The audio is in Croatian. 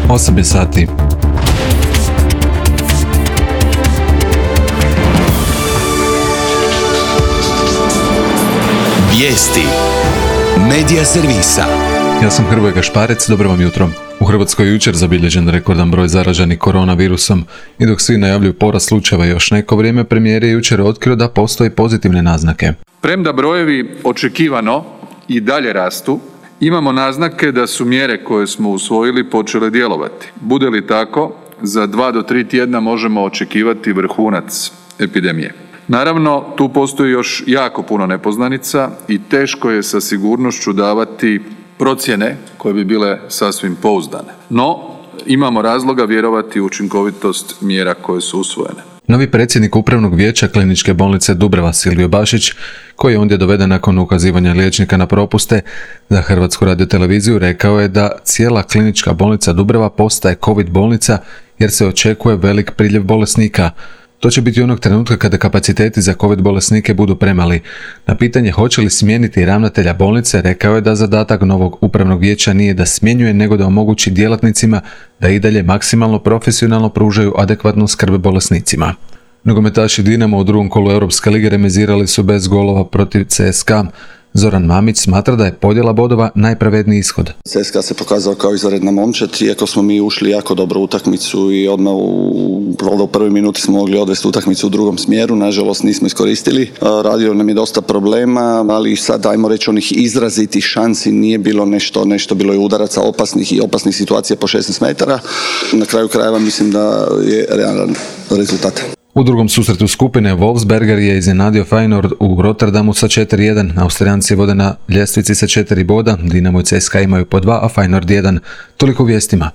8 je sati. Vijesti Medija servisa. Ja sam Hrvoje Gašparec, dobro vam jutro. U Hrvatskoj je jučer zabilježen rekordan broj zaraženih koronavirusom i dok svi najavljuju porast slučajeva još neko vrijeme, premijer je jučer otkrio da postoje pozitivne naznake. Premda brojevi očekivano i dalje rastu, imamo naznake da su mjere koje smo usvojili počele djelovati. Bude li tako, za 2 do 3 tjedna možemo očekivati vrhunac epidemije. Naravno, tu postoji još jako puno nepoznanica i teško je sa sigurnošću davati procjene koje bi bile sasvim pouzdane. No, imamo razloga vjerovati u učinkovitost mjera koje su usvojene. Novi predsjednik Upravnog vijeća Kliničke bolnice Dubrava Silvio Bašić, koji je ondje doveden nakon ukazivanja liječnika na propuste za Hrvatsku radioteleviziju, rekao je da cijela Klinička bolnica Dubrava postaje COVID bolnica jer se očekuje velik priljev bolesnika. To će biti onog trenutka kada kapaciteti za COVID bolesnike budu premali. Na pitanje hoće li smijeniti ravnatelja bolnice, rekao je da zadatak novog upravnog vijeća nije da smjenjuje, nego da omogući djelatnicima da i dalje maksimalno profesionalno pružaju adekvatnu skrb bolesnicima. Nogometaši Dinamo u drugom kolu Europske lige remizirali su bez golova protiv CSKA. Zoran Mamić smatra da je podjela bodova najpravedniji ishod. CSKA se pokazao kao izvanredna momčad, iako smo mi ušli jako dobro u utakmicu i odmah u prvoj minuti smo mogli odvesti utakmicu u drugom smjeru, nažalost nismo iskoristili. Radio nam je dosta problema, ali sad ajmo reći onih izrazitih šansi nije bilo nešto bilo je udaraca opasnih situacija po 16 metara. Na kraju krajeva mislim da je realan rezultat. U drugom susretu skupine Wolfsberger je iznenadio Feyenoord u Rotterdamu sa 4-1. Austrijanci vode na ljestvici sa 4 boda, Dinamo i CSKA imaju po 2, a Feyenoord 1. Toliko vijestima.